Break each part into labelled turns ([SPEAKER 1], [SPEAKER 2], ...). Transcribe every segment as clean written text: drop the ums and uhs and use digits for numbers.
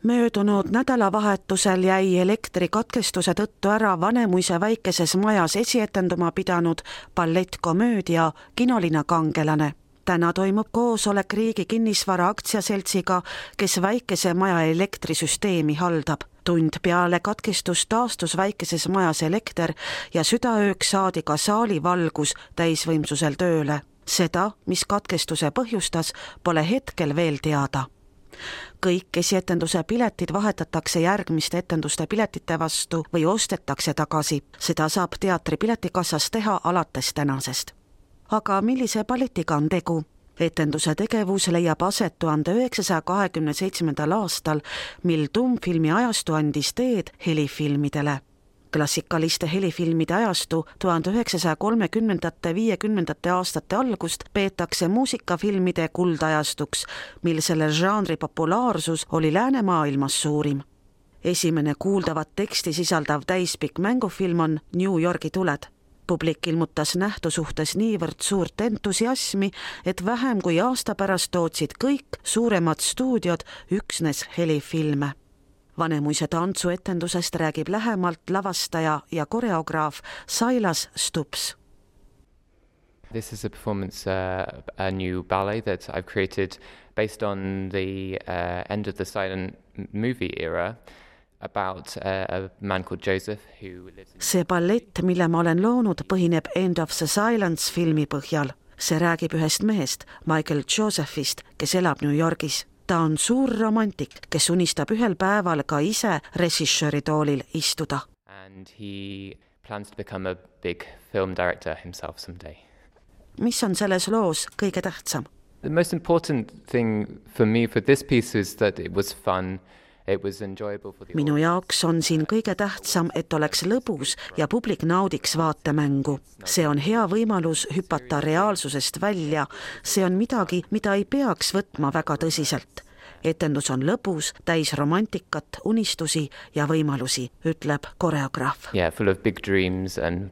[SPEAKER 1] Möödunud nädalavahetusel jäi elektrikatkestuse tõttu ära Vanemuise väikeses majas esietenduma pidanud ballettkomöödia Kinolina kangelane. Täna toimub koosolek Riigi Kinnisvara Aktsiaseltsiga, kes väikese maja elektrisüsteemi haldab. Tund peale katkestust taastus väikeses majas elekter ja südaööks saadi ka saali valgus täisvõimsusel tööle. Seda, mis katkestuse põhjustas, pole hetkel veel teada. Kõik esietenduse piletid vahetatakse järgmiste etenduste piletite vastu või ostetakse tagasi. Seda saab teatri piletikassas teha alates tänasest. Aga millise balletiga on tegu? Etenduse tegevus leiab aset 1927. aastal, mil tummfilmi ajastu andis teed helifilmidele. Klassikaliste helifilmide ajastu 1930–50 aastate algust peetakse muusikafilmide kuldajastuks, mil selle žanri populaarsus oli läänemaailmas suurim. Esimene kuuldavat teksti sisaldav täispikk mängufilm on New Yorgi tuled. Publik ilmutas nähtu suhtes niivõrd suurt entusiasmi, et vähem kui aasta pärast tootsid kõik suuremad stuudiod üksnes helifilme. Vanemuise tantsuetendusest räägib lähemalt lavastaja ja koreograaf Sailas Stubbs.
[SPEAKER 2] This is a performance, a new ballet that I've created based on the end of the silent movie era about a man called Joseph who lives in...
[SPEAKER 1] See ballett, mille ma olen loonud, põhineb End of the Silence filmi põhjal. See räägib ühest mehest, Michael Josephist, kes elab New Yorgis. Ta on suur romantik, kes unistab ühel päeval ka ise režissööri toolil istuda.
[SPEAKER 2] And he plans to become a big film director himself someday.
[SPEAKER 1] Mis on selles loos kõige tähtsam?
[SPEAKER 2] The most important thing for me for this piece is that it was fun. It was enjoyable for the
[SPEAKER 1] Minu jaoks on siin kõige tähtsam, et oleks lõbus ja publik naudiks vaatemängu. See on hea võimalus hüpata reaalsusest välja. See on midagi, mida ei peaks võtma väga tõsiselt. Etendus on lõbus, täis romantikat, unistusi ja võimalusi, ütleb koreograaf.
[SPEAKER 2] Yeah, full of big dreams and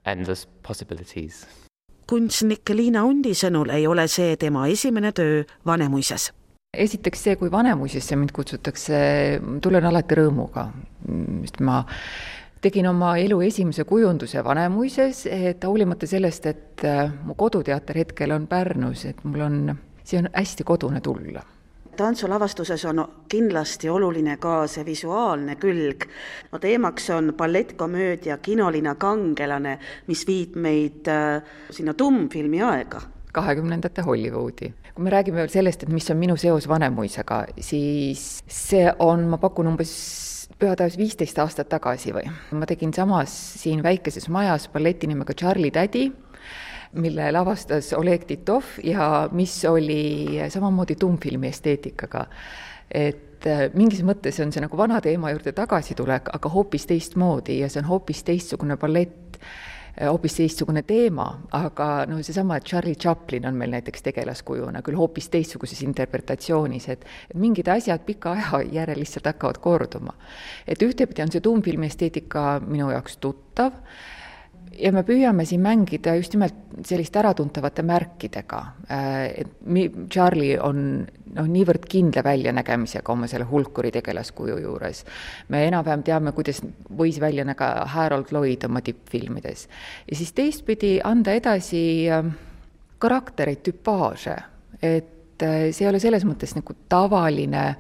[SPEAKER 2] endless possibilities.
[SPEAKER 1] Kunstnik Liina Undi sõnul ei ole see tema esimene töö Vanemuises.
[SPEAKER 3] Esiteks see, kui Vanemuisesse mind kutsutakse, tulen alati rõõmuga. Ma tegin oma elu esimese kujunduse Vanemuises, et hoolimata sellest, et mu koduteater hetkel on Pärnus, et see on hästi kodune tulla.
[SPEAKER 1] Tantsulavastuses on kindlasti oluline ka see visuaalne külg. Teemaks on ballettkomöödia Kinolina kangelane, mis viib meid sinna tummfilmi aega.
[SPEAKER 3] 20. Hollywoodi. Kui me räägime veel sellest, et mis on minu seos Vanemuisega, siis see on, ma pakun pühataevas 15 aastat tagasi või. Ma tegin samas siin väikeses majas balleti nimega Charlie Daddy, mille lavastas Oleg Titov ja mis oli samamoodi tummfilmi esteetikaga. Et mingis mõttes on see nagu vana teema juurde tagasitulek, aga hoopis teistmoodi ja see on hoopis teistsugune ballett, hoopis teistsugune teema, aga seesama, et Charlie Chaplin on meil näiteks tegelaskujuna, küll hoopis teistsuguses interpretatsioonis, et mingid asjad pika aja järel lihtsalt hakkavad korduma. Et ühtepidi on see tummfilmi esteetika minu jaoks tuttav ja me püüame siin mängida just nimelt sellist äratuntavate märkidega. Charlie on niivõrd kindla väljanägemisega oma selle hulkuri tegelaskuju juures. Me enam-vähem teame, kuidas võis välja näga Harold Lloyd oma tippfilmides. Ja siis teistpidi anda edasi karaktereid, tüpaaže. Et see ei ole selles mõttes nagu tavaline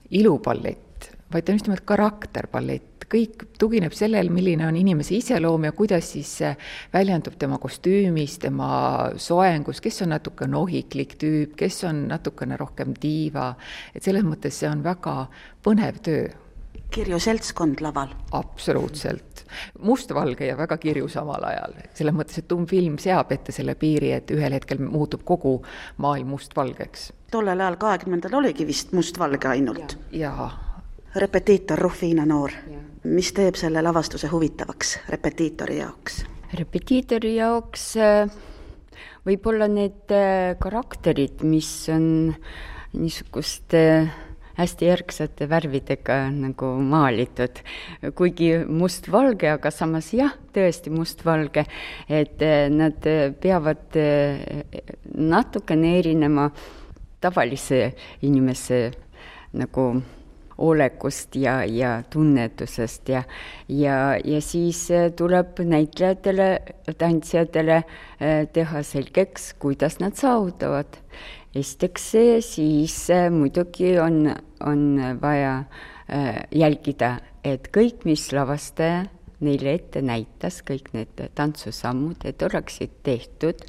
[SPEAKER 3] ilupallett, vaid ta on just nimelt karakterballett. Kõik tugineb sellel, milline on inimese iseloom ja kuidas siis väljendub tema kostüümis, tema soengus, kes on natuke nohiklik tüüp, kes on natukene rohkem diiva. Et selles mõttes see on väga põnev töö.
[SPEAKER 1] Kirju seltskond laval.
[SPEAKER 3] Absoluutselt. Mustvalge ja väga kirju samal ajal. Selles mõttes, et tummfilm seab ette selle piiri, et ühel hetkel muutub kogu maailm mustvalgeks.
[SPEAKER 1] Tollel ajal 20. oligi vist mustvalge ainult.
[SPEAKER 3] Jaa.
[SPEAKER 1] Repetiitor Rufiina Noor. Mis teeb selle lavastuse huvitavaks repetiitori jaoks?
[SPEAKER 4] Repetiitori jaoks võib-olla need karakterid, mis on niisuguste hästi järgsate värvidega nagu maalitud. Kuigi mustvalge, aga samas jah, tõesti mustvalge, et nad peavad natukene erinema tavalise inimese nagu olekust ja tunnetusest ja siis tuleb näitlejatele, tantsijatele teha selgeks, kuidas nad saavutavad. Esiteks siis muidugi on vaja jälgida, et kõik, mis lavastaja neile ette näitas, kõik need tantsusammud, et oleksid tehtud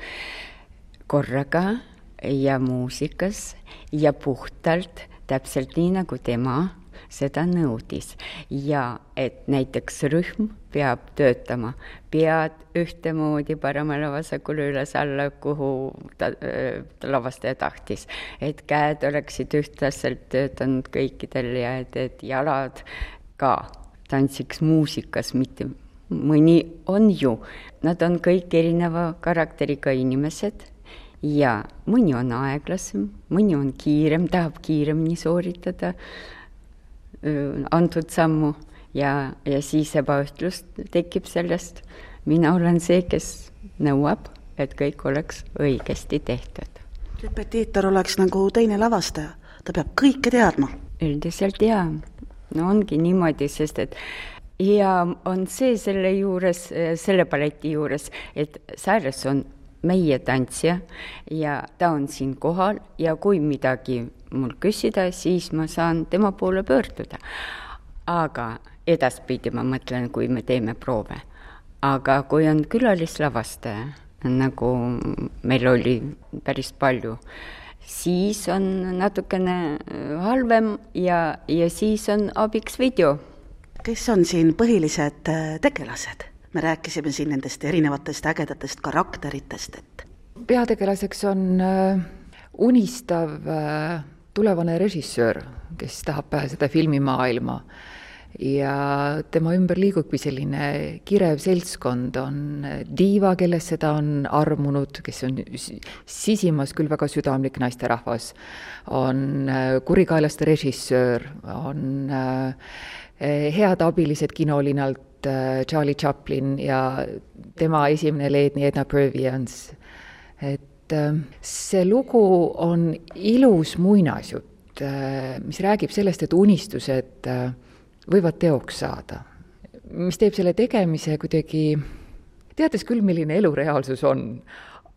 [SPEAKER 4] korraga ja muusikas ja puhtalt, täpselt nii, nagu tema seda nõudis. Ja et näiteks rühm peab töötama pead ühtemoodi paremale vasakule üles alla, kuhu lavastaja tahtis. Et käed oleksid ühtlaselt töötanud kõikidel ja et jalad ka tantsiks muusikas, mitte mõni on ju. Nad on kõik erineva karakteriga inimesed ja mõni on aeglasem, mõni on kiirem, tahab kiiremini sooritada antud sammu ja siis ebaühtlust tekib sellest. Mina olen see, kes nõuab, et kõik oleks õigesti tehtud.
[SPEAKER 1] Repetiitor oleks nagu teine lavastaja, ta peab kõike teadma.
[SPEAKER 4] Üldiselt jaa. No ongi niimoodi, sest et ja on see selle juures, selle balleti juures, et Cyrus on meie tantsija ja ta on siin kohal ja kui midagi mul küsida, siis ma saan tema poole pöörduda. Aga edaspidi ma mõtlen, kui me teeme proove. Aga kui on külalislavastaja, nagu meil oli päris palju, siis on natukene halvem ja siis on abiks video.
[SPEAKER 1] Kes on siin põhilised tegelased? Me rääkisime siin nendest erinevatest ägedatest karakteritest.
[SPEAKER 3] Peategelaseks on unistav tulevane režissöör, kes tahab pääseda filmimaailma ja tema ümber liigubki selline kirev seltskond, on diiva, kellest seda on armunud, kes on sisimas küll väga südamlik naisterahvas, on kurikaelaste režissöör, on head abilised kinolinalt Charlie Chaplin ja tema esimene leedni Edna Purviance. Et see lugu on ilus muinasjutt, mis räägib sellest, et unistused võivad teoks saada, mis teeb selle tegemise kuidagi, teades küll, milline elureaalsus on,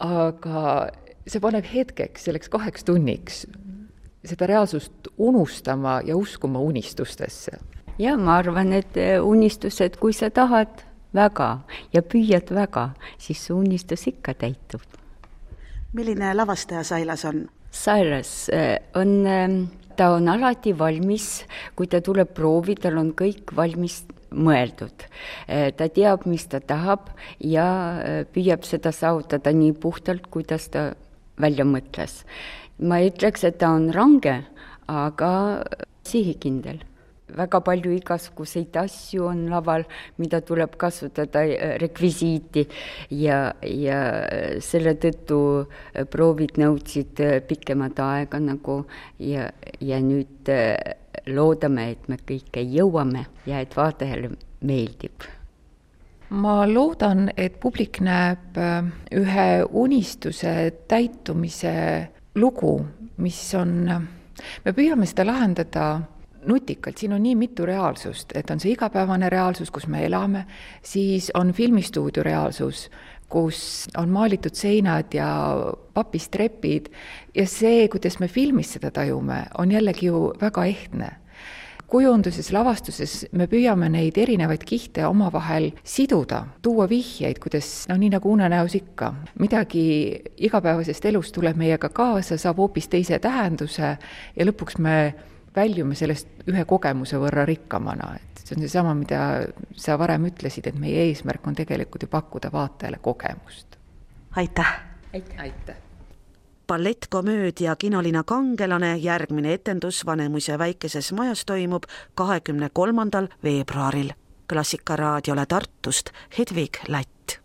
[SPEAKER 3] aga see paneb hetkeks, selleks 2 tunniks seda reaalsust unustama ja uskuma unistustesse.
[SPEAKER 4] Ja ma arvan, et unistused, kui sa tahad väga ja püüad väga, siis see unistus ikka täitub.
[SPEAKER 1] Milline lavastaja Sailas on?
[SPEAKER 4] Cyrus ta on alati valmis, kui ta tuleb proovi, tal on kõik valmis mõeldud. Ta teab, mis ta tahab ja püüab seda saavutada nii puhtalt, kuidas ta välja mõtles. Ma ütleks, et ta on range, aga sihikindel. Väga palju igasuguseid asju on laval, mida tuleb kasutada rekvisiiti ja selle tõttu proovid nõudsid pikemat aega nagu ja nüüd loodame, et me kõike jõuame ja et vaatajale meeldib.
[SPEAKER 3] Ma loodan, et publik näeb ühe unistuse täitumise lugu, mis on, me püüame seda lahendada nutikalt, siin on nii mitu reaalsust, et on see igapäevane reaalsus, kus me elame, siis on filmistuudio reaalsus, kus on maalitud seinad ja papist trepid ja see, kuidas me filmis seda tajume, on jällegi ju väga ehtne. Kujunduses, lavastuses me püüame neid erinevaid kihte omavahel siduda, tuua vihjeid, kuidas, nii nagu unenäos ikka. Midagi igapäevasest elust tuleb meiega kaasa, saab hoopis teise tähenduse ja lõpuks me väljume sellest ühe kogemuse võrra rikkamana. Et see on seesama, mida sa varem ütlesid, et meie eesmärk on tegelikult ju pakkuda vaatajale kogemust.
[SPEAKER 1] Aitäh!
[SPEAKER 3] Aitäh!
[SPEAKER 1] Ballettkomöödia Kinolina kangelane järgmine etendus Vanemuise väikeses majas toimub 23. veebruaril. Klassikaraadiole Tartust Hedvig Lätt.